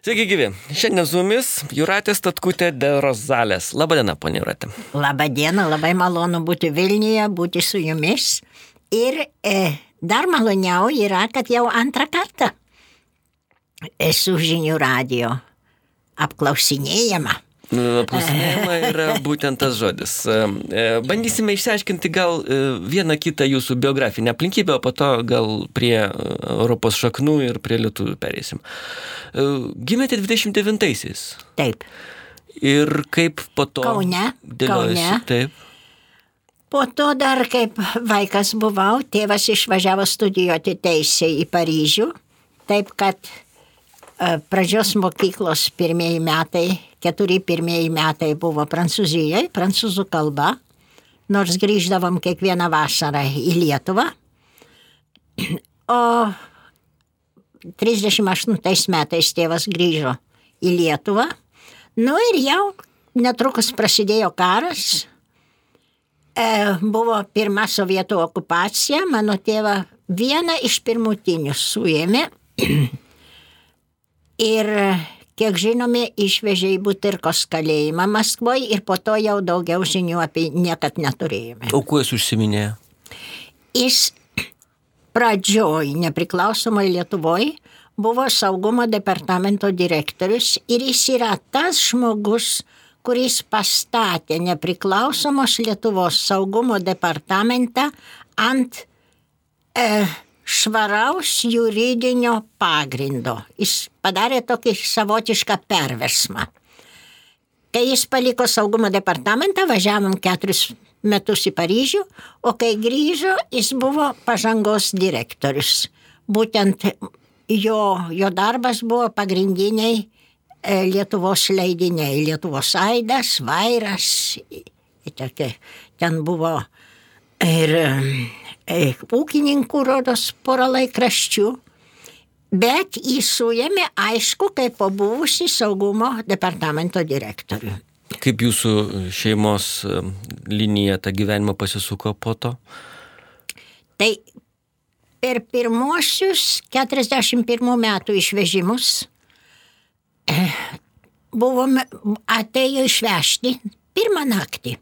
Sveiki gyvi. Šiandien su mumis Jūratė Statkutė de Rozalės. Labadiena, ponia Jūratė. Labadiena, labai malonu būti Vilniuje, būti su jumis. Ir dar maloniau yra, kad jau antrą kartą esu Žinių radijo apklausinėjama. Apklausinėjama yra būtent tas žodis. Bandysime išsiaiškinti gal vieną kitą jūsų biografinę aplinkybę, o po to gal prie Europos šaknų ir prie lietuvių pereisim. Gimėte 29-aisiais. Taip. Ir kaip po to... Kaune. Taip. Po to dar kaip vaikas buvau, tėvas išvažiavo studijuoti teisę į Paryžių, taip kad pradžios mokyklos keturi pirmieji metai buvo Prancūzijoje, prancūzų kalba, nors grįždavom kiekvieną vasarą į Lietuvą. O 38 metais tėvas grįžo į Lietuvą. Nu ir jau netrukus prasidėjo karas. Buvo pirma sovietų okupacija, mano tėvą vieną iš pirmutinių suėmė. Ir, kiek žinome, išvežė į Butyrkos kalėjimą Maskvoje ir po to jau daugiau žinių apie niekad neturėjome. O kuo jis užsiminėjo? Jis pradžioj nepriklausomoj Lietuvoje buvo saugumo departamento direktorius ir jis yra tas žmogus, kuris pastatė nepriklausomos Lietuvos saugumo departamentą ant švaraus juridinio pagrindo. Jis padarė tokį savotišką perversmą. Kai jis paliko saugumo departamentą, važiavom 4 metus į Paryžių, o kai grįžo, jis buvo pažangos direktorius. Būtent jo darbas buvo pagrindiniai Lietuvos leidiniai. Lietuvos aidas, vairas, ten buvo ir ūkininkų rodos porą laikraščių, bet jį suėmė, aišku, kaip pabuvusi saugumo departamento direktorių. Kaip jūsų šeimos linija tą gyvenimą pasisuko po to? Tai per pirmuosius 41 metų išvežimus atėjo išvežti pirmą naktį.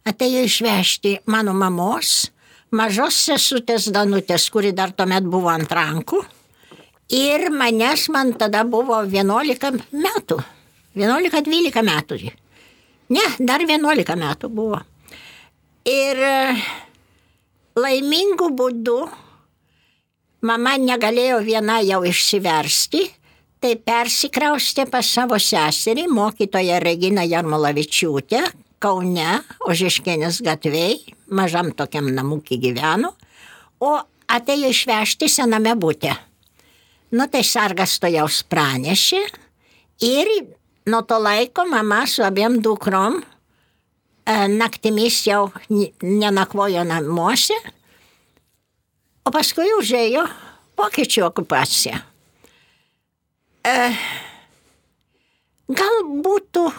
Atėjo išvežti mano mamos, mažos sesutės Danutės, kuri dar tuomet buvo ant rankų, ir man tada buvo 11 metų. 11-12 metų. Ne, dar 11 metų buvo. Ir laimingų būdų mama negalėjo viena jau išsiversti, tai persikraustė pas savo seserį, mokytoją Reginą Jarmolavičiūtę, Kaune, Ožeškienės gatvėj, mažam tokiam namukį gyveno, o atėjo išvežti sename bute. Nu, tai sargas tojaus pranešė ir nuo to laiko mama su abiem dukrom naktimis jau nenakvojo namuose, o paskui užėjo vokiečių okupacija. Gal būtų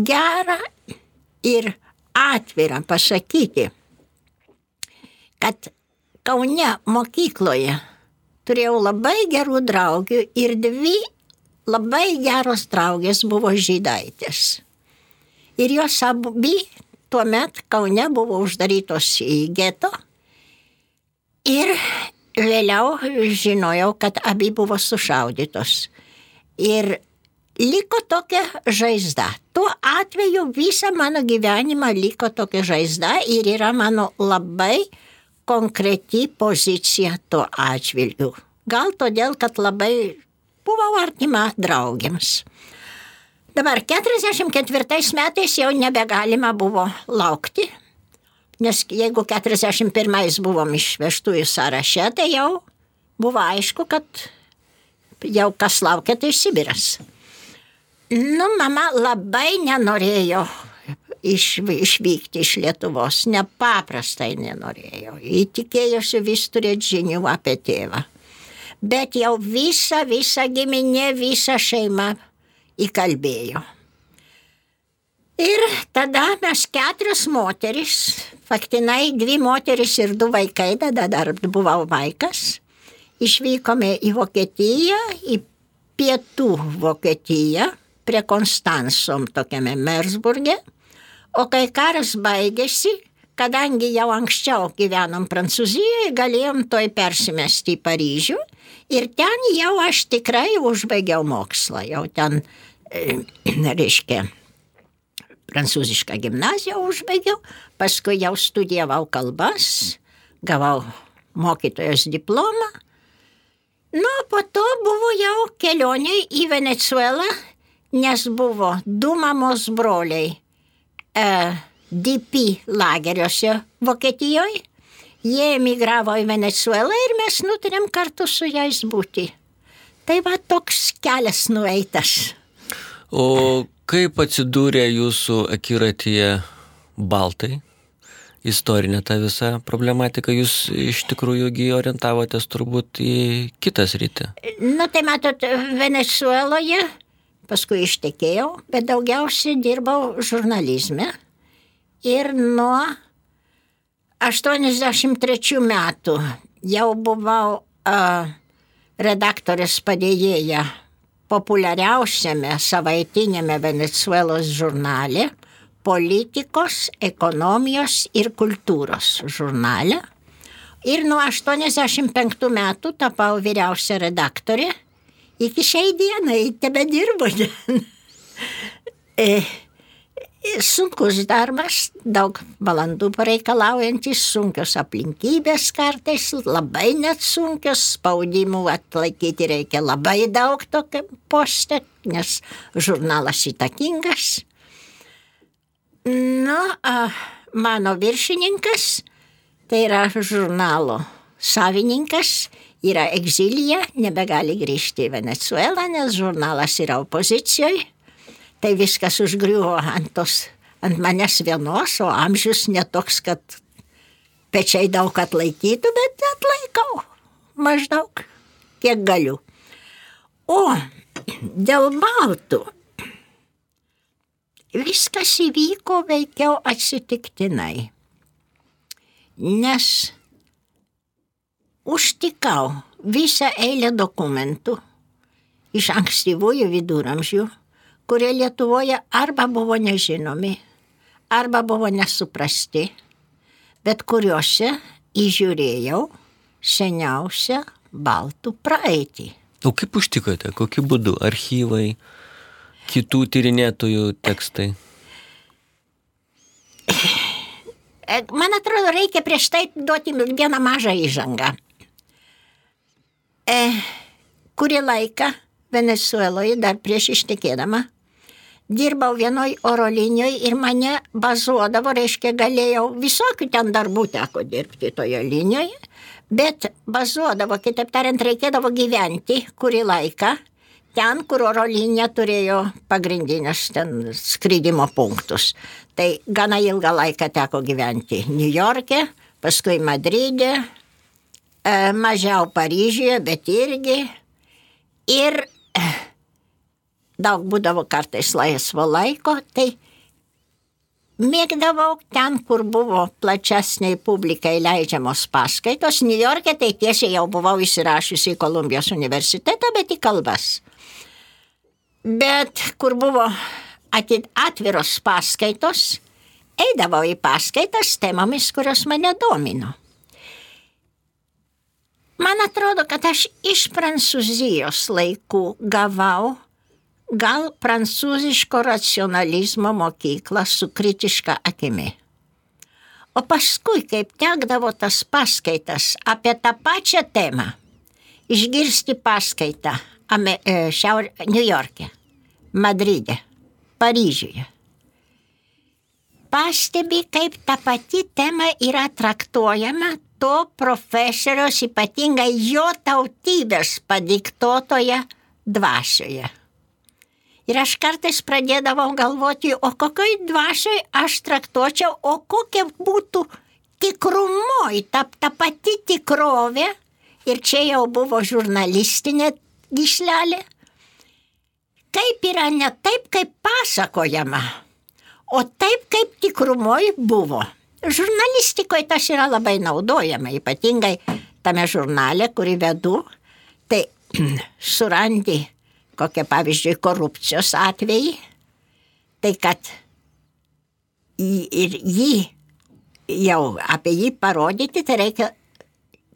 gera ir atvira pasakyti, kad Kaune mokykloje turėjau labai gerų draugių ir 2 labai geros draugės buvo žydaitės. Ir jos abi tuomet Kaune buvo uždarytos į geto ir vėliau žinojau, kad abi buvo sušaudytos. Ir liko tokia žaizda. Tuo atveju visą mano gyvenimą liko tokia žaizda ir yra mano labai konkreti pozicija tuo atžvilgiu. Gal todėl, kad labai buvau artima draugėms. Dabar 44 metais jau nebegalima buvo laukti, nes jeigu 41 buvom išvežtųjų sąraše, tai jau buvo aišku, kad jau kas laukia, tai Sibiras. Nu, mama labai nenorėjo išvykti iš Lietuvos, nepaprastai nenorėjo. Ji tikėjosi vis turėti žinių apie tėvą. Bet jau visa giminė, visa šeima įkalbėjo. Ir tada mes 4 moteris, faktinai 2 moteris ir 2 vaikai, tada dar buvau vaikas, išvykome į Vokietiją, į pietų Vokietiją, prie Konstansom tokiame Mersburge, o kai karas baigėsi, kadangi jau anksčiau gyvenom Prancūzijoje, galėjom toj persimesti į Paryžių ir ten jau aš tikrai užbaigiau mokslą, jau ten, reiškia, prancūzišką gimnaziją užbaigiau, paskui jau studijavau kalbas, gavau mokytojos diplomą, nu, po to buvo jau kelionė į Venezuelą, nes buvo 2 mamos broliai DP lageriuose Vokietijoje. Jie emigravo į Venezuelą ir mes nutarėm kartu su jais būti. Tai va toks kelias nueitas. O kaip atsidūrė jūsų akiratyje baltai? Istorinė ta visa problematika, jūs iš tikrųjų orientavotės turbūt į kitą sritį. Nu, tai matot, Venezueloje paskui ištekėjau, bet daugiausiai dirbau žurnalizme. Ir nuo 83 metų jau buvau redaktorės padėjėja populiariausiame savaitinėme Venezuelos žurnale, politikos, ekonomijos ir kultūros žurnale. Ir nuo 85 metų tapau vyriausia redaktorė. Iki šiai dienai tebedirbu. Sunkus darbas, daug valandų pareikalaujantis, sunkios aplinkybės kartais, labai net sunkios, spaudimų atlaikyti reikia labai daug tokio poste, nes žurnalas įtakingas. Nu, mano viršininkas, tai yra žurnalo savininkas, yra egzilyje, nebegali grįžti į Venezuelą, nes žurnalas yra opozicijoje. Tai viskas užgriuvo ant manęs vienos, o amžius netoks, kad pečiai daug atlaikytų, bet atlaikau maždaug, kiek galiu. O dėl baltų viskas įvyko veikiau atsitiktinai, nes užtikau visą eilę dokumentų iš ankstyvųjų viduramžių, kurie Lietuvoje arba buvo nežinomi, arba buvo nesuprasti, bet kuriuose įžiūrėjau seniausią baltų praeitį. O kaip užtikote? Kokiu būdu? Archyvai, kitų tyrinėtojų tekstai? Man atrodo, reikia prieš tai duoti vieną mažą įžangą. Kurį laiką Venezueloje, dar prieš ištekėdama, dirbau vienoj oro linijoje ir mane bazuodavo, reiškia, galėjau visokių ten darbų teko dirbti toje linijoje, bet bazuodavo, kitaip tariant, reikėdavo gyventi kurį laiką ten, kur oro linija turėjo pagrindinius ten skridimo punktus. Tai gana ilgą laiką teko gyventi Niujorke, paskui Madride, mažiau Paryžiuje, bet irgi. Ir daug būdavo kartais laisvo laiko, tai mėgdavau ten, kur buvo plačesniai publikai leidžiamos paskaitos. Niujorke tai tiesiai jau buvau įsirašiusi į Kolumbijos universitetą, bet į kalbas. Bet kur buvo atviros paskaitos, eidavau į paskaitas temomis, kurios mane domino. Man atrodo, kad aš iš Prancūzijos laikų gavau gal prancūziško racionalizmo mokyklą su kritiška akimi. O paskui, kaip tekdavo tas paskaitas apie tą pačią temą, išgirsti paskaitą Niujorke, Madride, Paryžiuje, pastebi, kaip ta pati tema yra traktuojama to profesoriaus, ypatingai jo tautybės padiktuotoje dvasioje. Ir aš kartais pradėdavau galvoti, o kokioj dvasioj aš traktuočiau, o kokia būtų tikrumoji, ta pati tikrovė, ir čia jau buvo žurnalistinė gyslelė, kaip yra ne taip, kaip pasakojama, o taip, kaip tikrumoj buvo. Žurnalistikoje tas yra labai naudojama, ypatingai tame žurnale, kurį vedu, tai surandi kokie pavyzdžiui korupcijos atvejai, tai kad ir jį jau apie jį parodyti, tai reikia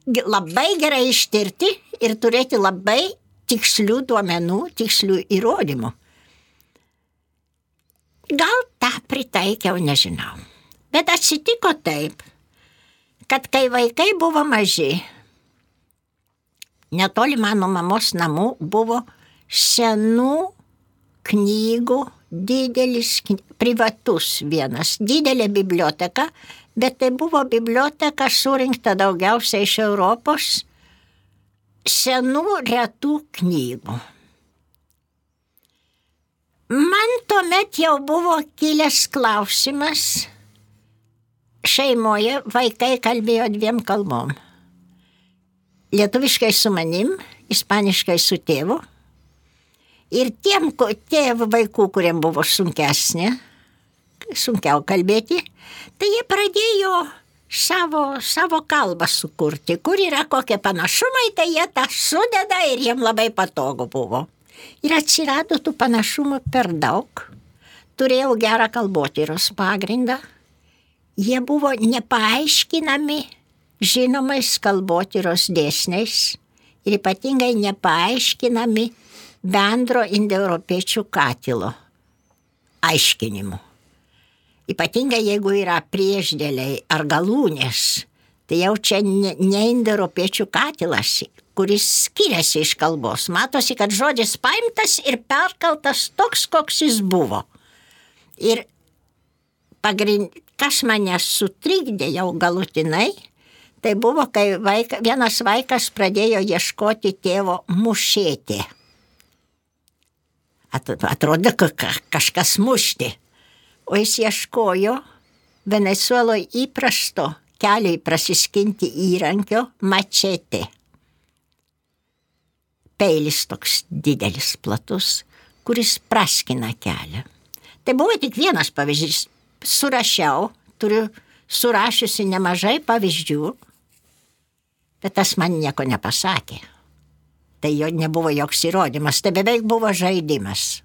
labai gerai ištirti ir turėti labai tikslių duomenų, tikslių įrodymų. Gal tą pritaikiau, nežinau. Bet atsitiko taip, kad kai vaikai buvo maži, netoli mano mamos namų buvo senų knygų, didelis, privatus vienas, didelė biblioteka, bet tai buvo biblioteka surinkta daugiausiai iš Europos senų retų knygų. Man tuomet jau buvo kilęs klausimas, šeimoje vaikai kalbėjo 2 kalbom. Lietuviškai su manim, ispaniškai su tėvu. Ir tiem tėvų vaikų, kuriem buvo sunkiau kalbėti, tai jie pradėjo savo kalbą sukurti, kur yra kokie panašumai, tai jie tą sudeda ir jiem labai patogu buvo. Ir atsirado tų panašumų per daug. Turėjau gerą kalbotyros pagrindą. Jie buvo nepaaiškinami žinomais kalbotyros dėsniais ir ypatingai nepaaiškinami bendro indoeuropiečių katilo aiškinimu. Ypatingai jeigu yra priešdėliai ar galūnės, tai jau čia ne indoeuropiečių katilas, kuris skiriasi iš kalbos. Matosi, kad žodis paimtas ir perkaltas toks, koks jis buvo. Ir kas mane sutrikdė jau galutinai, tai buvo, kai vienas vaikas pradėjo ieškoti tėvo mušėti. Atrodo, kažkas mušti. O jis ieškojo Venezueloje įprasto keliui prasiskinti įrankio mačetė. Peilis toks didelis, platus, kuris praskina kelią. Tai buvo tik vienas pavyzdys. Surašiau, turiu surašiusi nemažai pavyzdžių, bet tas man nieko nepasakė. Tai jo nebuvo joks įrodymas, tai beveik buvo žaidimas.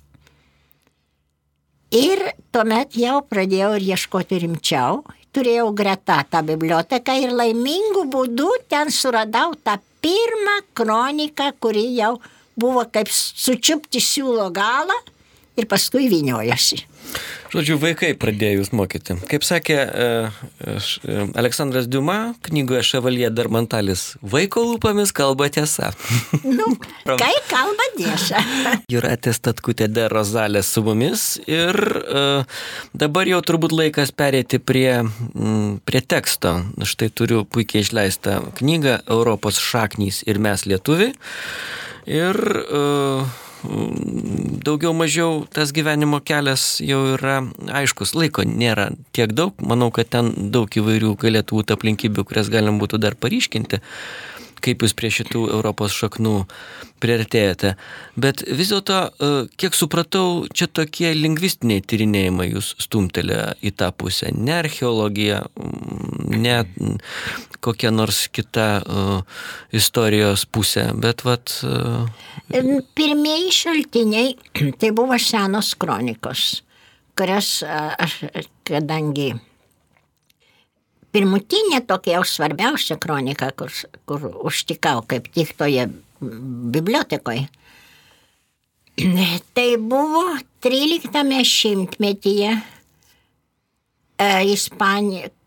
Ir tuomet jau pradėjau ir ieškoti rimčiau, turėjau greta tą biblioteką ir laimingų būdų ten suradau tą pirmą kroniką, kuri jau buvo kaip sučiupti siūlo galą ir paskui vyniojosi. Žodžiu, vaikai pradėjo jūs mokyti. Kaip sakė Aleksandras Diuma knygoje Ševalie Darmantalis, vaiko lūpomis kalba tiesa. Kai kalba tiesa. Jūratė Statkutė de Rozalė su mumis ir dabar jau turbūt laikas pereiti prie teksto. Štai turiu puikiai išleistą knygą Europos šaknys ir mes lietuviai. Ir daugiau mažiau tas gyvenimo kelias jau yra aiškus. Laiko nėra tiek daug. Manau, kad ten daug įvairių galėtų būti aplinkybių, kurias galim būtų dar paryškinti, kaip jūs prie šitų Europos šaknų priartėjate. Bet vis dėlto, kiek supratau, čia tokie lingvistiniai tyrinėjimai jūs stumtelė į tą pusę. Ne archeologija, ne kokia nors kita istorijos pusė, bet Pirmieji šaltiniai tai buvo senos kronikos, kurias aš, kadangi pirmutinė tokia jau svarbiausia kronika, kur užtikau kaip tik toje bibliotekoje, tai buvo 13 šimtmetyje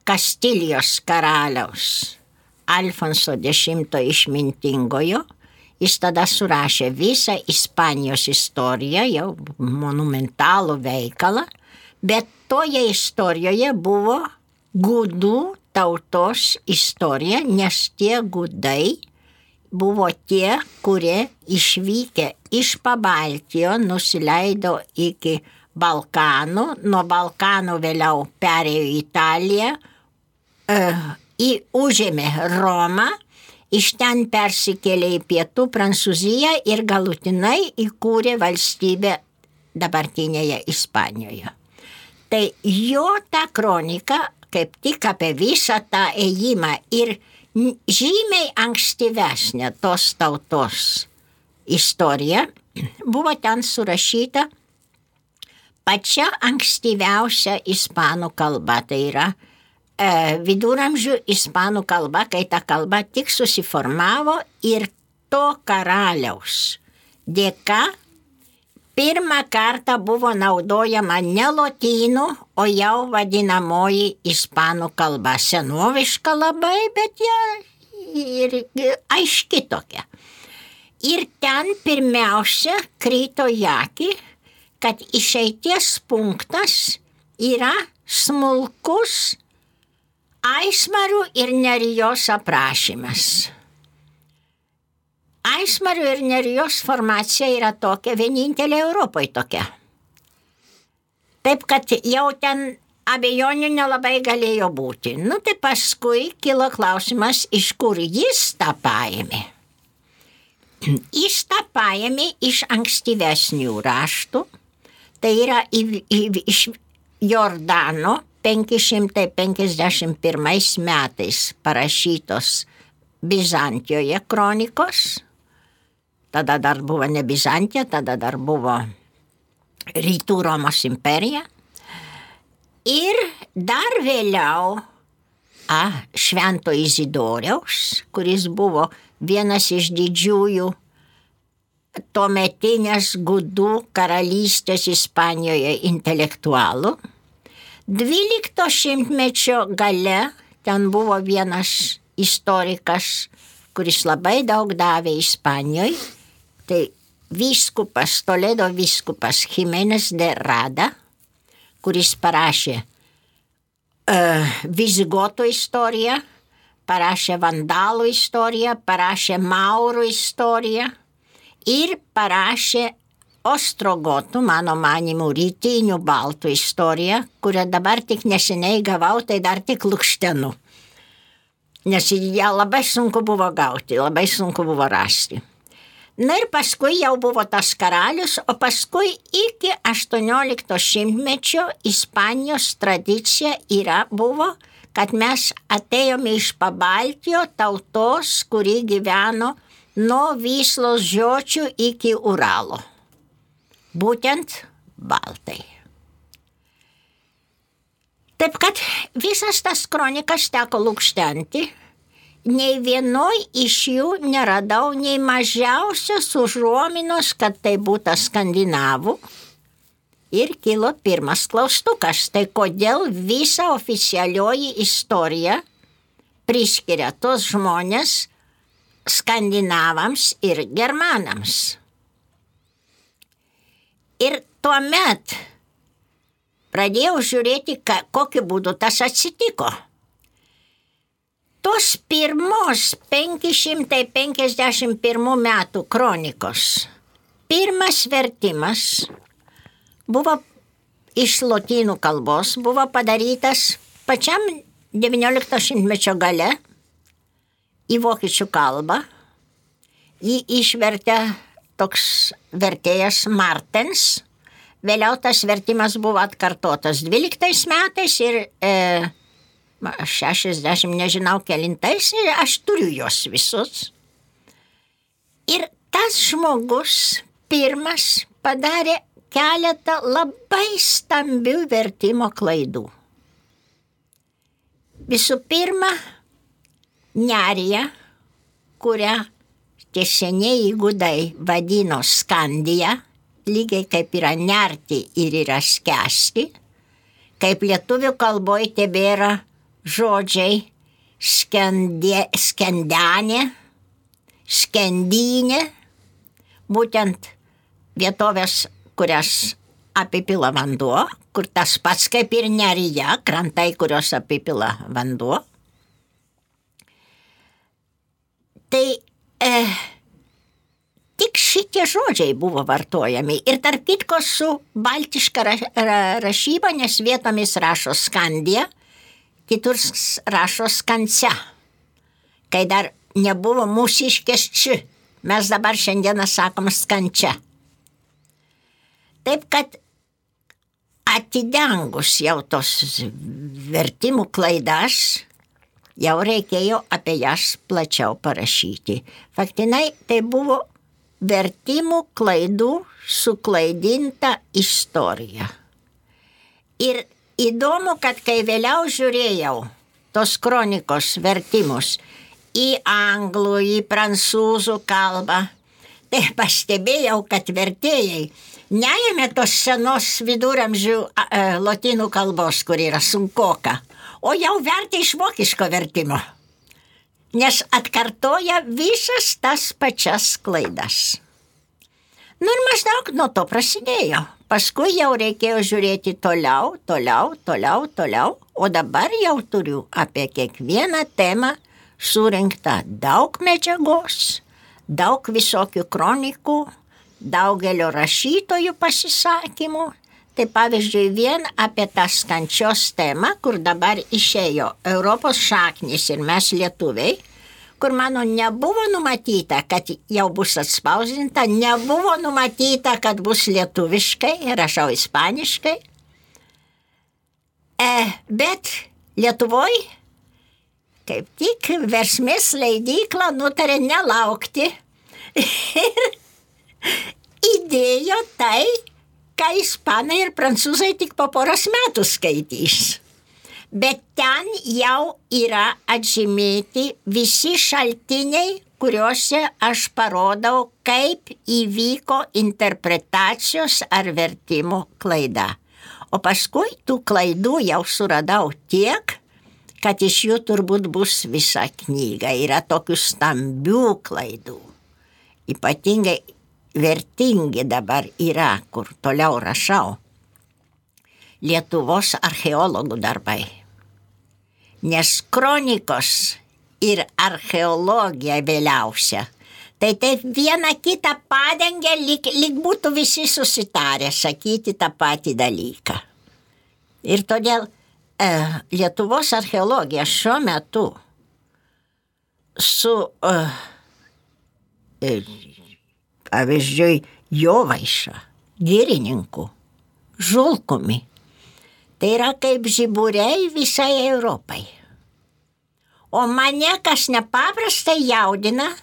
Kastilijos karaliaus Alfonso X išmintingojo. Jis tada surašė visą Ispanijos istoriją, jau monumentalų veikalą, bet toje istorijoje buvo gudų tautos istorija, nes tie gudai buvo tie, kurie išvykę iš Pabaltijo nusileido iki Balkanų, nuo Balkanų vėliau perėjo į Italiją, užėmė Romą, iš ten persikėlė į pietų Prancūziją ir galutinai įkūrė valstybę dabartinėje Ispanijoje. Tai jo ta kronika kaip tik apie visą tą ėjimą ir žymiai ankstyvesnė tos tautos istorija buvo ten surašyta pačia ankstyviausia ispanų kalba. Tai yra viduramžių ispanų kalba, kai ta kalba tik susiformavo ir to karaliaus dėka pirmą kartą buvo naudojama ne lotynų, o jau vadinamoji ispanų kalba. Senoviška labai, bet ją ir aiški tokia. Ir ten pirmiausia krito į akį, kad išeities punktas yra smulkus Aismarų ir Nerijos aprašymas. Aismarų ir Nerijos formacija yra tokia, vienintelė Europoje tokia. Taip, kad jau ten abejonių nelabai galėjo būti. Tai paskui kilo klausimas, iš kur jis tą paėmė. Jis tą paėmė iš ankstyvesnių raštų, tai yra iš Jordano 551 metais parašytos Bizantijoje kronikos. Tada dar buvo ne Bizantija, tada dar buvo Rytų Romos imperija. Ir dar vėliau Švento Izidoriaus, kuris buvo vienas iš didžiųjų tuometinės gudų karalystės Ispanijoje intelektualų. 12 šimtmečio gale ten buvo vienas istorikas, kuris labai daug davė Ispanijoje. Tai Toledo vyskupas Jimenez de Rada, kuris parašė Vizigotų istoriją, parašė Vandalų istoriją, parašė Maurų istoriją ir parašė Ostrogotų, mano manimu, rytinių baltų istoriją, kurią dabar tik neseniai gavau, tai dar tik lukštenu. Nes ją labai sunku buvo gauti, labai sunku buvo rasti. Ir paskui jau buvo tas karalius, o paskui iki 18 šimtmečio Ispanijos tradicija buvo, kad mes atėjome iš Pabaltijo tautos, kuri gyveno nuo Vyslos žiočių iki Uralo. Būtent baltai. Taip kad visas tas kronikas teko lukštenti, nei vienoj iš jų neradau nei mažiausios užuominos, kad tai būtų skandinavų. Ir kilo pirmas klaustukas, tai kodėl visa oficialioji istorija priskiria tos žmonės skandinavams ir germanams. Ir tuomet pradėjau žiūrėti, kokiu būdu tas atsitiko. Tos pirmos 551 metų kronikos pirmas vertimas buvo iš lotynų kalbos, buvo padarytas pačiam 19 šimtmečio gale į vokiečių kalbą. Jį išvertė toks vertėjas Martens. Vėliau tas vertimas buvo atkartotas 12 metais ir 60, nežinau kelintais, aš turiu juos visus. Ir tas žmogus pirmas padarė keletą labai stambių vertimo klaidų. Visų pirma, Nerija, kurią tie senieji gudai vadino Skandija, lygiai kaip yra nerti ir yra skęsti, kaip lietuvių kalboje tebėra žodžiai skendenė, skendynė, būtent vietovės, kurias apipila vanduo, kur tas pats kaip ir Nerija, krantai, kurios apipila vanduo. Tai tik šitie žodžiai buvo vartojami ir tarp kitko su baltiška rašyba, nes vietomis rašo Skandija, kitur rašo Skansia, kai dar nebuvo mūsiškės či, mes dabar šiandieną sakom Skančia. Taip kad atidengus jau tos vertimų klaidas, jau reikėjo apie jas plačiau parašyti. Faktinai tai buvo vertimų klaidų suklaidinta istorija. Ir įdomu, kad kai vėliau žiūrėjau tos kronikos vertimus į anglų, į prancūzų kalbą, tai pastebėjau, kad vertėjai neėmė tos senos viduramžių lotynų kalbos, kur yra sunkoka, o jau vertė iš vokiško vertimo, nes atkartoja visas tas pačias klaidas. Nu ir maždaug nuo to prasidėjo. Paskui jau reikėjo žiūrėti toliau, o dabar jau turiu apie kiekvieną temą surinktą daug medžiagos, daug visokių kronikų, daugelio rašytojų pasisakymų. Tai pavyzdžiui, vien apie tas kančios temą, kur dabar išėjo Europos šaknis ir mes lietuviai, kur mano nebuvo numatyta, kad jau bus atspausdinta, nebuvo numatyta, kad bus lietuviškai, rašau ispaniškai. Bet Lietuvoj, kaip tik Versmės leidykla nutarė nelaukti ir įdėjo tai, ką ispanai ir prancūzai tik po poros metų skaitys. Bet ten jau yra atžymėti visi šaltiniai, kuriuose aš parodau, kaip įvyko interpretacijos ar vertimo klaida. O paskui tų klaidų jau suradau tiek, kad iš jų turbūt bus visa knyga. Yra tokių stambių klaidų. Ypatingai vertingi dabar yra, kur toliau rašau, Lietuvos archeologų darbai. Nes kronikos ir archeologija vėliausia, tai taip vieną kitą padengia, lyg būtų visi susitarę sakyti tą patį dalyką. Ir todėl Lietuvos archeologija šiuo metu su, pavyzdžiui, Jovaiša, Girininku, Žulkumi, tai yra kaip žiburiai visai Europai. O mane kas nepaprastai jaudina,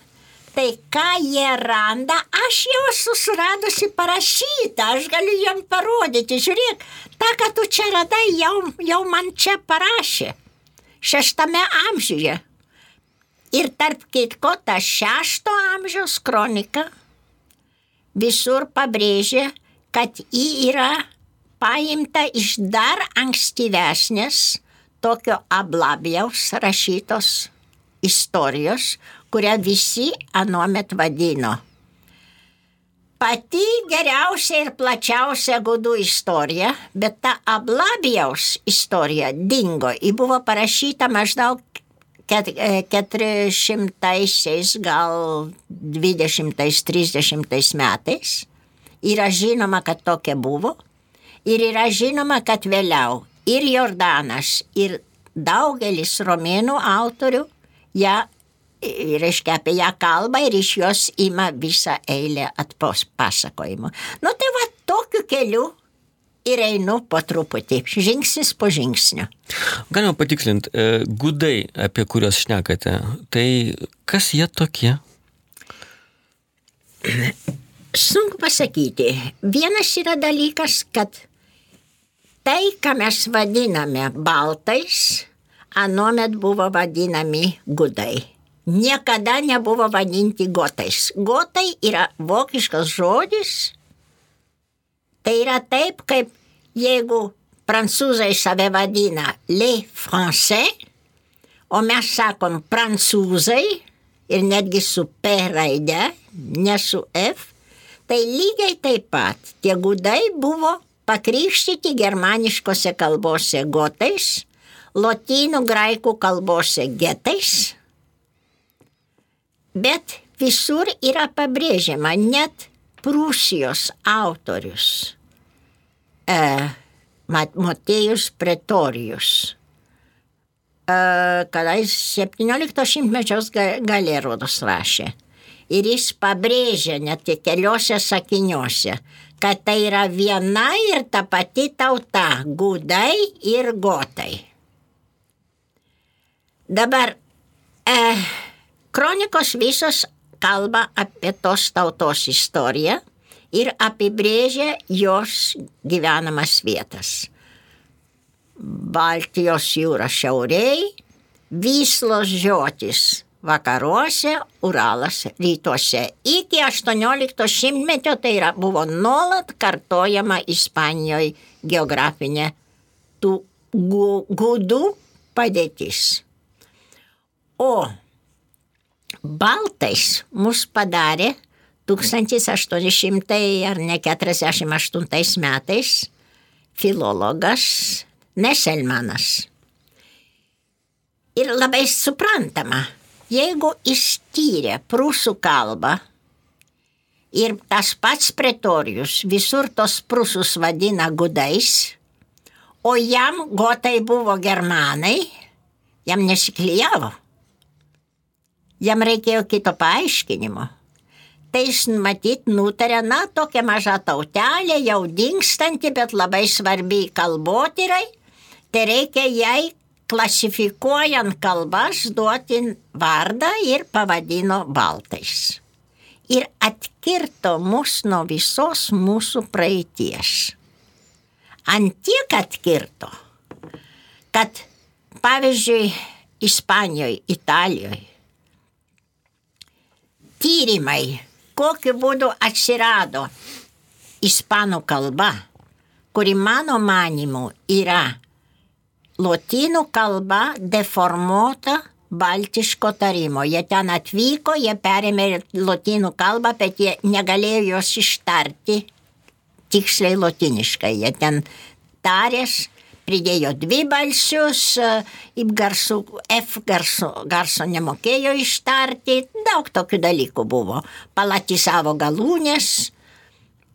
tai ką jie randa, aš jau esu suradusi parašytą, aš galiu jam parodyti, žiūrėk, tą, ką tu čia radai, jau man čia parašė, 6 amžiuje. Ir tarp kitko, ta 6 amžiaus kronika visur pabrėžė, kad ji yra paimta iš dar ankstyvesnės tokio Ablabijaus rašytos istorijos, kurią visi anuomet vadino pati geriausia ir plačiausia gudų istorija, bet ta Ablabijaus istorija dingo. Ji buvo parašyta maždaug 400-aisiais, gal 20-30 metais. Yra žinoma, kad tokia buvo. Ir yra žinoma, kad vėliau ir Jordanas, ir daugelis romėnų autorių reiškia apie ją kalba ir iš jos ima visą eilę pasakojimų. Nu tai va, tokiu keliu ir einu po truputį, žingsnis po žingsnio. Galima patikslinti, gudai, apie kuriuos šnekate, tai kas jie tokie? Sunku pasakyti. Vienas yra dalykas, kad tai, ką mes vadiname baltais, anuomet buvo vadinami gudai. Niekada nebuvo vadinti gotais. Gotai yra vokiškas žodis. Tai yra taip, kaip jeigu prancūzai save vadina les français, o mes sakom prancūzai ir netgi su P raide, ne su F, tai lygiai taip pat tie gudai buvo pakrikštyti germaniškose kalbose gotais, lotynų graikų kalbose getais, bet visur yra pabrėžiama, net Prūsijos autorius Motiejus Pretorijus, kadais 17 šimtmečiaus gale rodos rašė. Ir jis pabrėžia net keliose sakiniuose, kad tai yra viena ir ta pati tauta, gudai ir gotai. Dabar kronikos visos kalba apie tos tautos istoriją ir apibrėžia jos gyvenamas vietas. Baltijos jūra šiauriai, Vyslos žiotis vakaruose, Uralas rytuose. Iki 18 šimtmečio tai buvo nuolat kartojama Ispanijoje geografinė tų gudų padėtis. O baltais mus padarė 1800 ar ne 48 metais filologas Neselmanas. Ir labai suprantama, jeigu jis tyrė prūsų kalbą ir tas pats Pretorijus visur tos prūsus vadina gudais, o jam gotai buvo germanai, jam nesiklijavo. Jam reikėjo kito paaiškinimo. Tai jis matyt nutarė, tokia maža tautelė, jau dingstanti, bet labai svarbi kalbotyrai, tai reikia jai klasifikuojant kalbas duoti vardą ir pavadino baltais. Ir atkirto mus nuo visos mūsų praeities. Antiek atkirto, kad pavyzdžiui Ispanijoje, Italijoje tyrimai, kokiu būdu atsirado ispanų kalba, kuri mano manimu yra lotynų kalba deformuota baltiško tarimo. Jie ten atvyko, jie perėmė lotynų kalbą, bet jie negalėjo jos ištarti tiksliai lotyniškai. Jie ten tarės, pridėjo dvibalsius, F garso nemokėjo ištarti, daug tokių dalykų buvo. Palatisavo galūnės,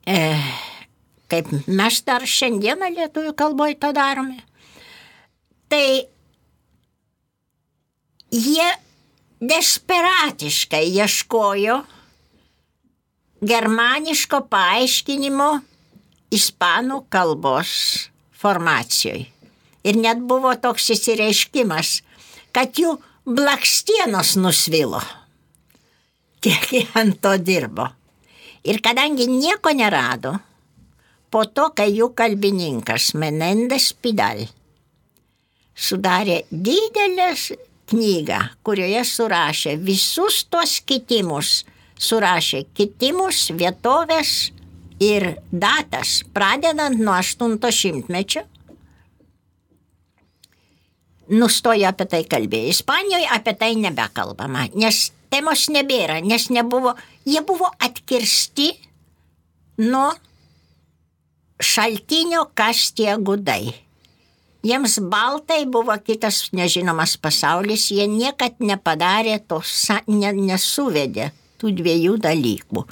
kaip mes dar šiandieną lietuvių kalboje to darome. Tai jie desperatiškai ieškojo germaniško paaiškinimo ispanų kalbos formacijoje. Ir net buvo toks įsireiškimas, kad jų blakstienos nusvilo. Kiek jie ant to dirbo. Ir kadangi nieko nerado, po to, kai jų kalbininkas Menendez Pidal sudarė didelės knygą, kurioje surašė visus tos kitimus, surašė kitimus, vietovės ir datas, pradedant nuo 800-mečio, nustojo apie tai kalbėti. Ispanijoje apie tai nebekalbama, nes temos nebėra, nes jie buvo atkirsti nuo šaltinio, kas tie gudai. Jiems baltai buvo kitas nežinomas pasaulis, jie niekad nepadarė to, nesuvedė tų dviejų dalykų.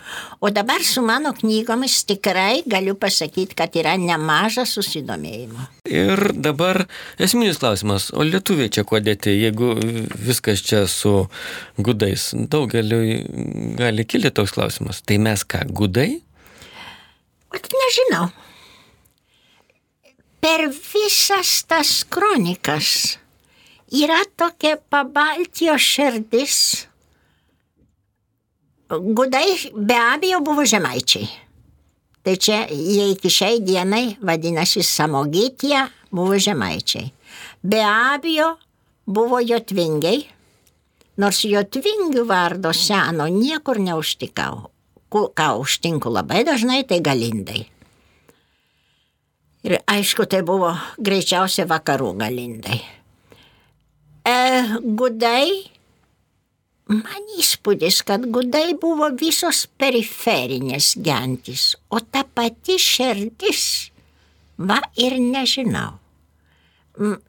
O dabar su mano knygomis tikrai galiu pasakyti, kad yra nemažas susidomėjimo. Ir dabar esminis klausimas, o lietuviai čia kuo dėti, jeigu viskas čia su gudais? Daugeliui gali kilti toks klausimas. Tai mes ką, gudai? Nežinau. Per visas tas kronikas yra tokia Pabaltijos širdis. Gudai be abejo buvo žemaičiai. Tai čia jie iki šiai dienai vadinasi Samogitia, buvo žemaičiai. Be abejo buvo jotvingiai, nors jotvingių vardo seno niekur neužtikau. Ką užtinku labai dažnai, tai galindai. Ir aišku, tai buvo greičiausiai vakarų galindai. Gudai, man įspūdis, kad gudai buvo visos periferinės gentys, o ta pati širdis, ir nežinau.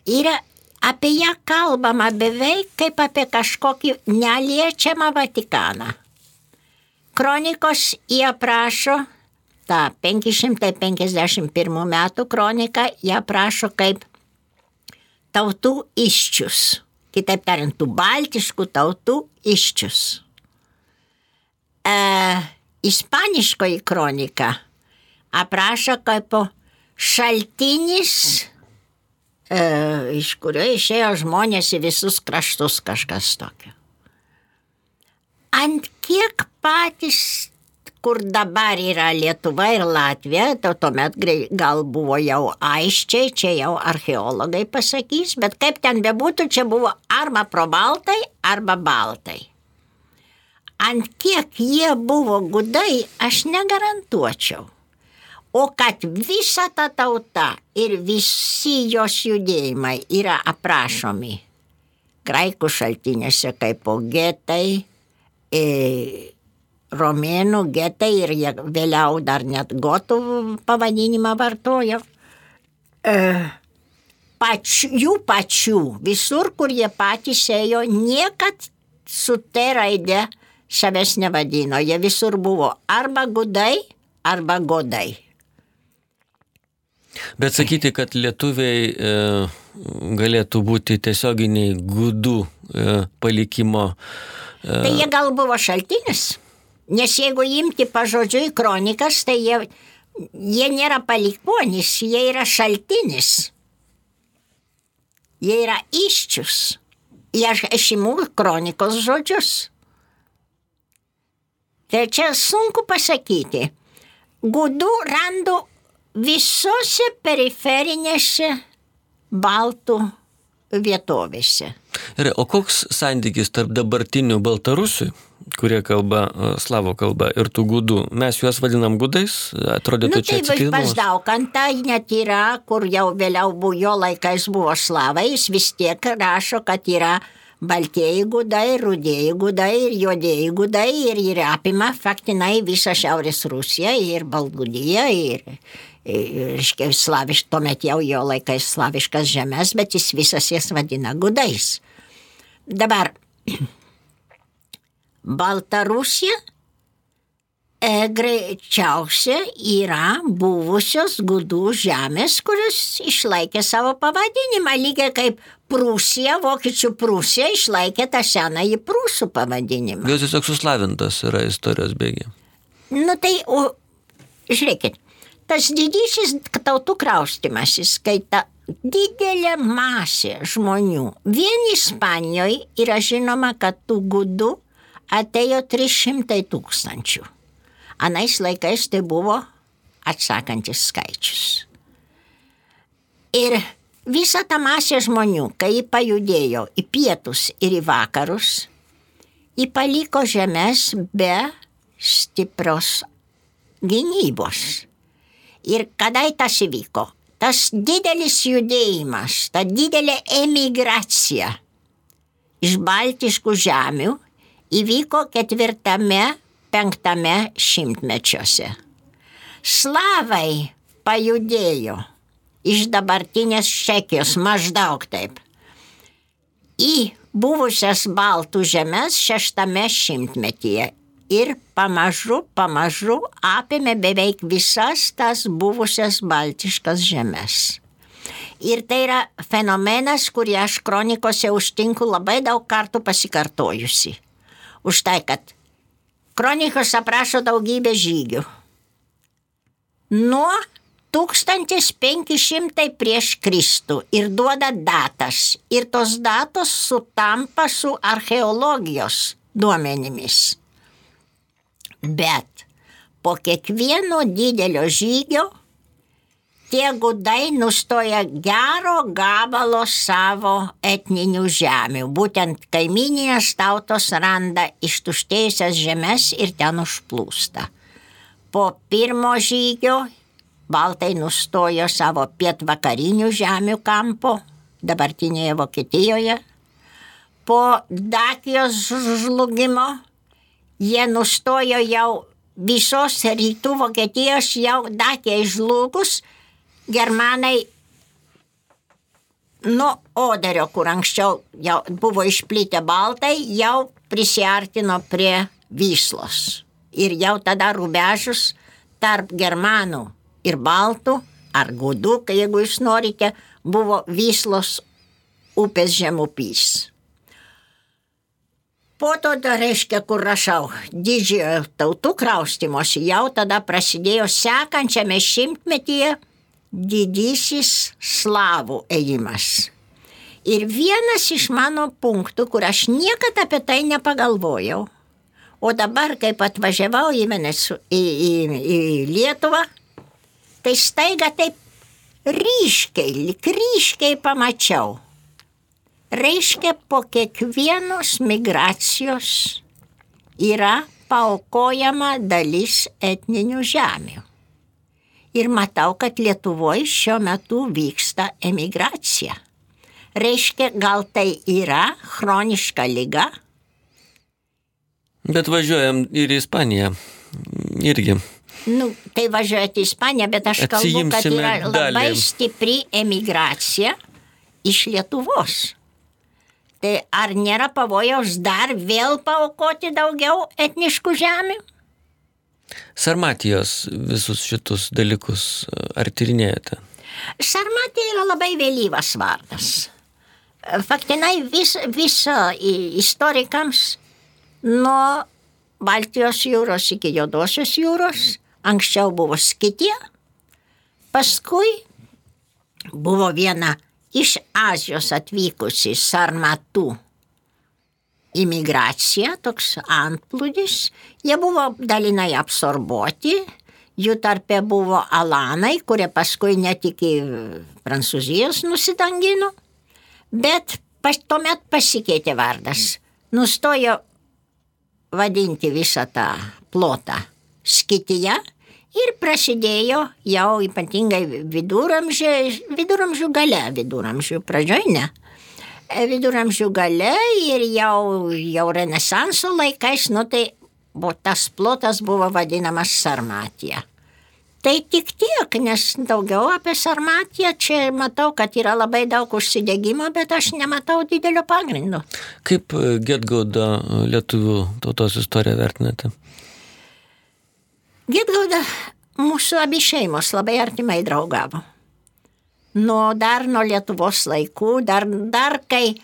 Yra apie ją kalbama beveik kaip apie kažkokį neliečiamą Vatikaną. Kronikos jie aprašo, tą 551 metų kroniką jie aprašo kaip tautų iščius. Kitaip tariant, tų baltiškų tautų iščius. Ispaniškoji kronika aprašo kaip šaltinis, iš kurio išėjo žmonės į visus kraštus, kažkas tokio. Ant kiek patys, kur dabar yra Lietuva ir Latvija, tuomet gal buvo jau aiščiai, čia jau archeologai pasakys, bet kaip ten bebūtų, čia buvo arba probaltai, arba baltai. Ant kiek jie buvo gudai, aš negarantuočiau. O kad visa ta tauta ir visi jos judėjimai yra aprašomi graikų šaltinėse kaip getai, romėnų getai ir jie vėliau dar net gotų pavadinimą vartojo. Jų pačių, visur, kur jie patys ėjo, niekad su T raide savęs nevadino. Jie visur buvo arba gudai, arba godai. Bet sakyti, kad lietuviai galėtų būti tiesioginiai gudų palikimo. Tai jie gal buvo šaltinis, nes jeigu imti pažodžiui kronikas, tai jie nėra palikuonis, jie yra šaltinis. Jie yra iščius. Aš imu kronikos žodžius. Tai čia sunku pasakyti. Gudų randu visose periferinėse baltų vietovėse. Ir, o koks santykis tarp dabartinių baltarusių, kurie kalba slavų kalba, ir tų gudų? Mes juos vadinam gudais? Atrodytų čia atsitiktinumas. Pas Daukantą net yra, kur jau vėliau buvo jo laikais buvo slavai, jis vis tiek rašo, kad yra baltieji gudai, rudieji gudai ir juodieji gudai ir apima faktinai visą Šiaurės Rusiją ir Baltgudiją ir tuomet jau jo laikais slaviškas žemės, bet jis visas jas vadina gudais. Dabar Baltarusija greičiausia yra buvusios gudų žemės, kurios išlaikė savo pavadinimą, lygiai kaip Prūsija, vokiečių Prūsija išlaikė tą senąjį prūsų pavadinimą. Jos tiesiog suslavintas yra istorijos bėgi. Tai, žiūrėkit, tas didysis tautų kraustymasis, kai ta didelė masė žmonių, vien Ispanijoje yra žinoma, kad tų gudų atėjo 300 000. Anais laikais tai buvo atsakantis skaičius. Ir visa ta masė žmonių, kai jį pajudėjo į pietus ir į vakarus, jį paliko žemės be stiprios gynybos. Ir kada tas įvyko? Tas didelis judėjimas, ta didelė emigracija iš baltiškų žemių įvyko 4-5 šimtmečiuose. Slavai pajudėjo iš dabartinės Čekijos maždaug taip į buvusias baltų žemes 6 šimtmetyje ir pamažu apėmė beveik visas tas buvusias baltiškas žemes. Ir tai yra fenomenas, kurį aš kronikose užtinku labai daug kartų pasikartojusi. Už tai, kad kronikos aprašo daugybę žygių. Nuo 1500 prieš Kristų ir duoda datas. Ir tos datos sutampa su archeologijos duomenimis. Bet po kiekvieno didelio žygio tie gudai nustoja gero gabalo savo etninių žemių. Būtent kaimyninės tautos randa ištuštėjusias žemes ir ten užplūsta. Po pirmo žygio baltai nustojo savo pietvakarinių žemių kampo, dabartinėje Vokietijoje. Po Dakijos žlugimo jie nustojo jau visos rytų Vokietijos, jau Dakijai žlugus, germanai nuo Oderio, kur anksčiau jau buvo išplitę baltai, jau prisiartino prie Vyslos. Ir jau tada rubežus tarp germanų ir baltų, ar gudų, jeigu jūs norite, buvo Vyslos upės žemupys. Po to, reiškia, kur rašau, didžiojo tautų kraustymosi, jau tada prasidėjo sekančiame šimtmetyje didysis slavų ėjimas. Ir vienas iš mano punktų, kur aš niekada apie tai nepagalvojau, O dabar, kaip atvažiavau į Lietuvą, tai staiga taip ryškiai pamačiau. Reiškia, po kiekvienos migracijos yra paaukojama dalis etninių žemių. Ir matau, kad Lietuvoje šiuo metu vyksta emigracija. Reiškia, gal tai yra chroniška liga? Bet važiuojam ir į Ispaniją irgi. Tai važiuojate į Ispaniją, bet aš kalbu, kad yra labai stipri emigracija iš Lietuvos. Tai ar nėra pavojaus dar vėl paaukoti daugiau etniškų žemių? Sarmatijos visus šitus dalykus ar tyrinėjate? Sarmatija yra labai vėlyvas vardas. Faktinai viso istorikams nuo Baltijos jūros iki Juodosios jūros anksčiau buvo Skitija, paskui buvo viena iš Azijos atvykusi sarmatų imigracija, toks antplūdis. Jie buvo dalinai absorbuoti, jų tarpe buvo alanai, kurie paskui net iki Prancūzijos nusidangino, bet tuomet pasikeitė vardas. Nustojo vadinti visą tą plotą Skitija ir prasidėjo jau ypatingai viduramžių gale, viduramžių pradžioj ne. Viduramžių gale ir jau Renesanso laikais, tai tas plotas buvo vadinamas Sarmatija. Tai tik tiek, nes daugiau apie Sarmatiją čia matau, kad yra labai daug užsidegimo, bet aš nematau didelio pagrindo. Kaip Gedgaudo lietuvių tautos istoriją vertinate? Gedgauda mūsų abi šeimos labai artimai draugavo. Dar nuo Lietuvos laikų, dar kai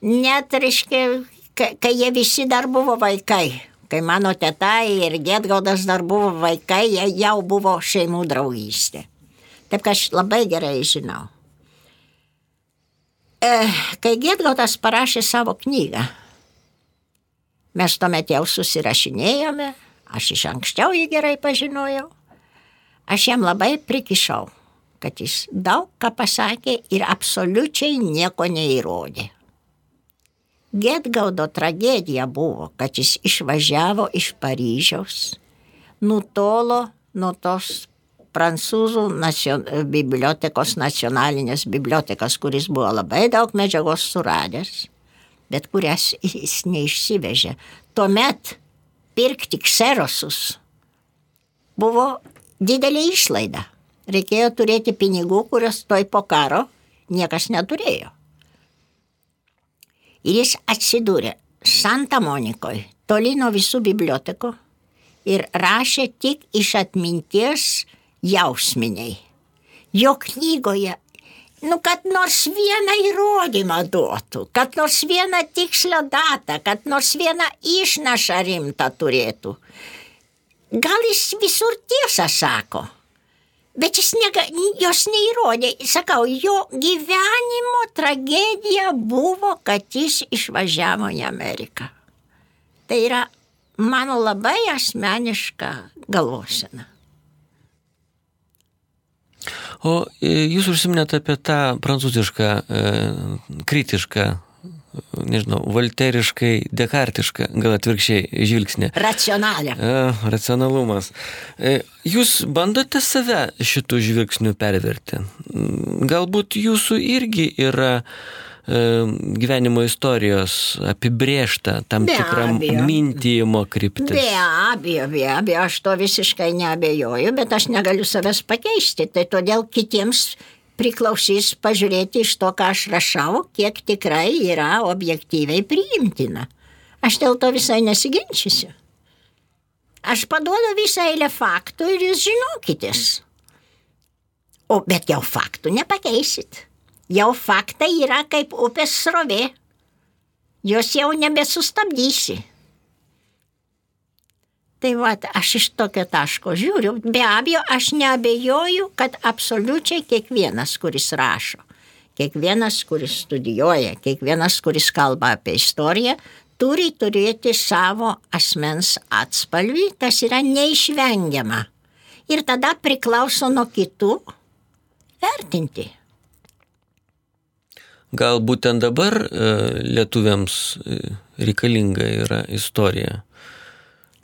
net, reiškia, kai jie visi dar buvo vaikai, kai mano teta ir Gedgaudas dar buvo vaikai, jie jau buvo šeimų draugystė. Taip, kad aš labai gerai žinau. Kai Gedgaudas parašė savo knygą, mes tuomet jau susirašinėjome, aš iš anksčiau jį gerai pažinojau, aš jam labai prikišau, kad jis daug ką pasakė ir absoliučiai nieko neįrodė. Gedgaudo tragedija buvo, kad jis išvažiavo iš Paryžiaus, nutolo nuo tos prancūzų bibliotekos, nacionalinės bibliotekos, kuris buvo labai daug medžiagos suradęs, bet kurias jis neišsivežė. Tuomet pirkti kserosus buvo didelė išlaida. Reikėjo turėti pinigų, kurios toj po karo niekas neturėjo. Ir jis atsidūrė Santa Monikoje, toli nuo visų bibliotekų ir rašė tik iš atminties jausminiai. Jo knygoje, kad nors vieną įrodymą duotų, kad nors vieną tikslę datą, kad nors vieną išnašą rimtą turėtų. Gal jis visur tiesą sako, bet jis jos neįrodė. Sakau, jo gyvenimo tragedija buvo, kad jis išvažiavo į Ameriką. Tai yra mano labai asmeniška galvosena. O jūs užsiminėte apie tą prancūzišką, kritišką, nežinau, volteriškai, dekartišką, gal atvirkščiai žvilgsnį. Racionalią. Racionalumas. Jūs bandote save šitų žvilgsnių perverti? Galbūt jūsų irgi yra gyvenimo istorijos apibrėžta tam tikram mintijimo kryptis. Be abejo, aš to visiškai neabejoju, bet aš negaliu savęs pakeisti, tai todėl kitiems priklausys pažiūrėti iš to, ką aš rašau, kiek tikrai yra objektyviai priimtina. Aš dėl to visai nesiginčysiu. Aš paduodu visą eilę faktų ir jūs žinokitės. Bet jau faktų nepakeisit. Jau faktai yra kaip upės srovė. Jos jau nebesustabdysi. Tai aš iš tokio taško žiūriu. Be abejo, aš neabejoju, kad absoliučiai kiekvienas, kuris rašo, kiekvienas, kuris studijuoja, kiekvienas, kuris kalba apie istoriją, turi turėti savo asmens atspalvį, kas yra neišvengiama. Ir tada priklauso nuo kitų vertinti. Gal būtent dabar lietuviams reikalinga yra istorija.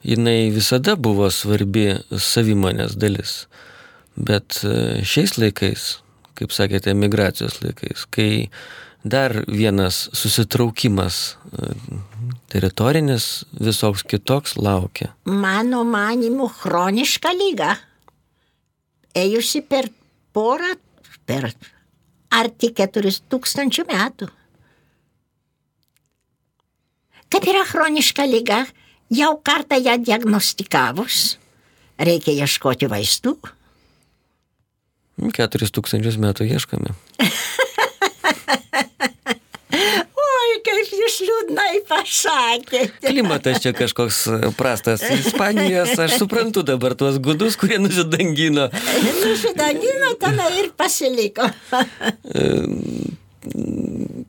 Jinai visada buvo svarbi savimonės dalis. Bet šiais laikais, kaip sakėte, emigracijos laikais, kai dar vienas susitraukimas teritorinis visoks kitoks laukia. Mano manimu, chroniška liga. Ėjusi per arti 4000 metų. Kaip yra chroniška liga, jau kartą ją diagnostikavus, reikia ieškoti vaistų. 4000 metų ieškame. Oi, kaip jūs liūdnai pasakėte. Klimatas čia kažkoks prastas. Ispanijos, aš suprantu dabar tuos gudus, kurie nusidangino. Nusidangino, tada ir pasiliko.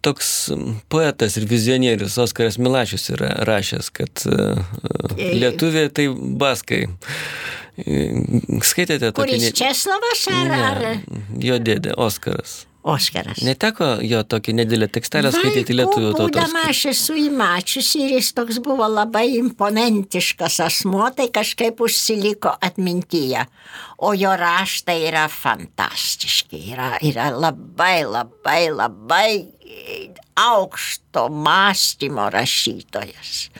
Toks poetas ir vizionierius Oskaras Milašius yra rašęs, kad lietuviai tai baskai. Skaitėte tokį... Kuris Česlovas ar? Jo dėdė, Oskaras. Oskaras. Neteko jo tokį nedėlę tekstelę skaityti lietuvių tautos. Būdama aš esu įmačiusi ir jis toks buvo labai imponentiškas asmuo, tai kažkaip užsiliko atmintyje. O jo raštai yra fantastiški, yra labai aukšto mąstymo rašytojas.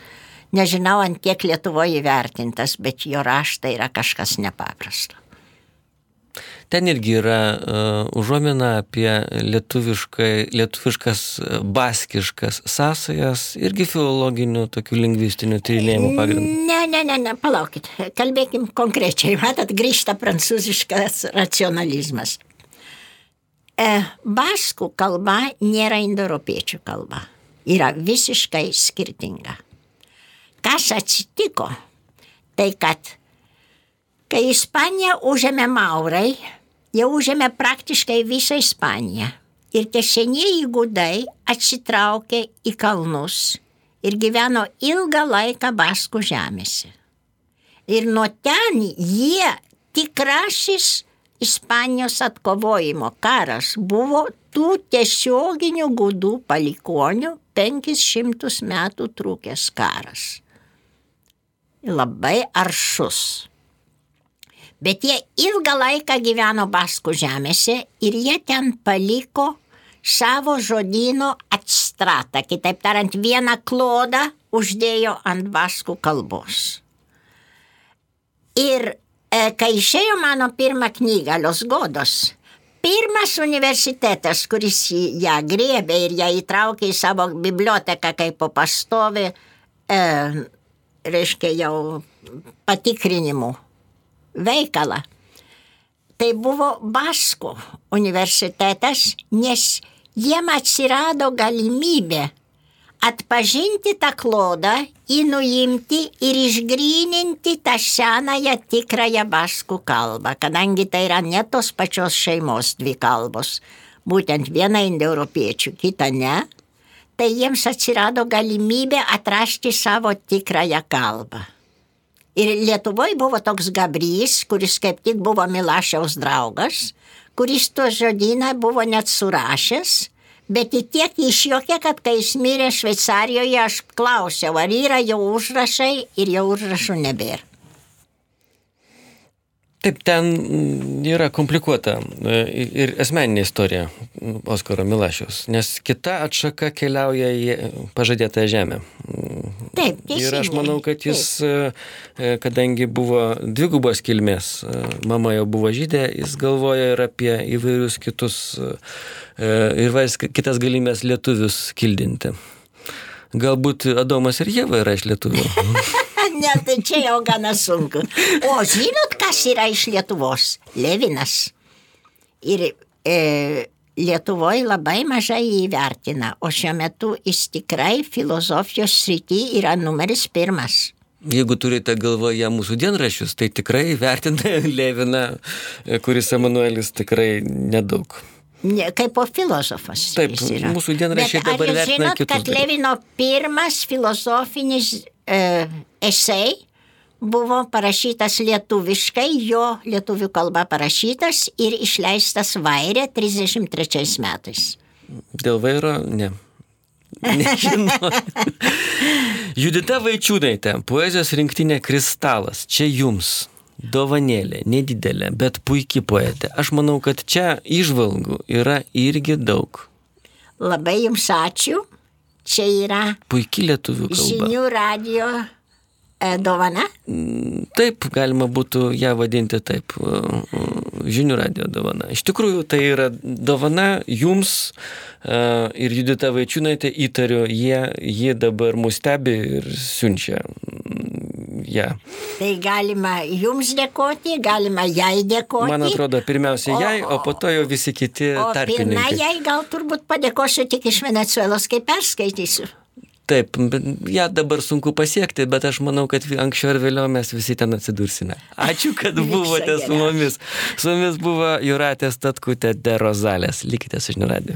Nežinau, ant kiek Lietuvoje įvertintas, bet jo raštai yra kažkas nepaprasto. Ten irgi yra užuomina apie lietuviškas, baskiškas sąsajas, irgi filologinių, tokių lingvistinių tyrinėjimų pagrindų. Ne, palaukit, kalbėkim konkrečiai, matot, grįžta prancūziškas racionalizmas. Baskų kalba nėra indoeuropiečių kalba, yra visiškai skirtinga. Kas atsitiko, tai kad kai Ispaniją užėmė maurai, jie užėmė praktiškai visą Ispaniją. Ir tie senieji gudai atsitraukė į kalnus ir gyveno ilgą laiką Baskų žemėse. Ir nuo ten jie tikrasis Ispanijos atkovojimo karas buvo tų tiesioginių gudų palikonių 500 metų trukęs karas. Labai aršus. Bet jie ilgą laiką gyveno Baskų žemėse ir jie ten paliko savo žodyno atstratą, kitaip tariant, vieną klodą uždėjo ant baskų kalbos. Ir kai išėjo mano pirmą knygą, Los Godos, pirmas universitetas, kuris ją griebė ir ją įtraukė į savo biblioteką kaip po pastovį, reiškia jau patikrinimų veikalą. Tai buvo Baskų universitetas, nes jiem atsirado galimybė atpažinti tą klodą, jį nuimti ir išgryninti tą senąją tikrąją baskų kalbą, kadangi tai yra ne tos pačios šeimos dvi kalbos, būtent viena indoeuropiečių, kita ne, tai jiems atsirado galimybė atrasti savo tikrąją kalbą. Ir Lietuvoje buvo toks Gabrys, kuris kaip tik buvo Milašiaus draugas, kuris to žodyną buvo net surašęs, bet į tiek išjuokė, kad kai jis mirė Šveicarijoje, aš klausiau, ar yra jau užrašai ir jau užrašų nebėra. Taip, ten yra komplikuota ir asmeninė istorija Oskaro Milašiaus, nes kita atšaka keliauja į pažadėtąją žemę. Taip, teisingai. Ir aš manau, kad jis, kadangi buvo dvigubos kilmės, mama jau buvo žydė, jis galvoja ir apie įvairius kitus kitas galimybės lietuvius kildinti. Galbūt Adomas ir Ieva yra iš lietuvių. Ne, tai čia jau gana sunku. O žinot, kas yra iš Lietuvos? Levinas. Ir Lietuvoje labai mažai įvertina, o šiuo metu jis tikrai filosofijos srity yra numeris 1. Jeigu turite galvoje mūsų dienraščius, tai tikrai vertina Leviną, kuris Emanuelis tikrai nedaug. Ne, kaip filosofas. Taip, jis yra. mūsų dienraščiai dabar Bet ar jūs vertina žinot, kitus kad dalykus? Levino pirmas filosofinis esei buvo parašytas lietuviškai, jo lietuvių kalba parašytas ir išleistas Vairė 33 metais. Dėl vairo? Ne. Nežinau. Judita Vaičiūnaitė, poezijos rinktinė Kristalas. Čia jums. Dovanėlė, nedidelė, bet puikiai poetė. Aš manau, kad čia įžvalgų yra irgi daug. Labai jums ačiū. Čia yra Puikiai lietuvių kalba. Žinių radio dovana. Taip, galima būtų ją vadinti taip. Žinių radio dovana. Iš tikrųjų, tai yra dovana jums ir Judita Vaičiūnaitė, įtariu, jie dabar mus stebi ir siunčia. Ja. Tai galima jums dėkoti, galima jai dėkoti. Man atrodo, pirmiausia jai, o po to jau visi kiti tarpininkai. O pirmą jai gal turbūt padėkosiu tik iš Venezuelos, kai perskaitysiu. Taip, ją dabar sunku pasiekti, bet aš manau, kad anksčiau ar vėliau mes visi ten atsidursime. Ačiū, kad buvote su mumis. Su mumis buvo Jūratė Statkutė de Rozalės. Likite su Žinių radiju.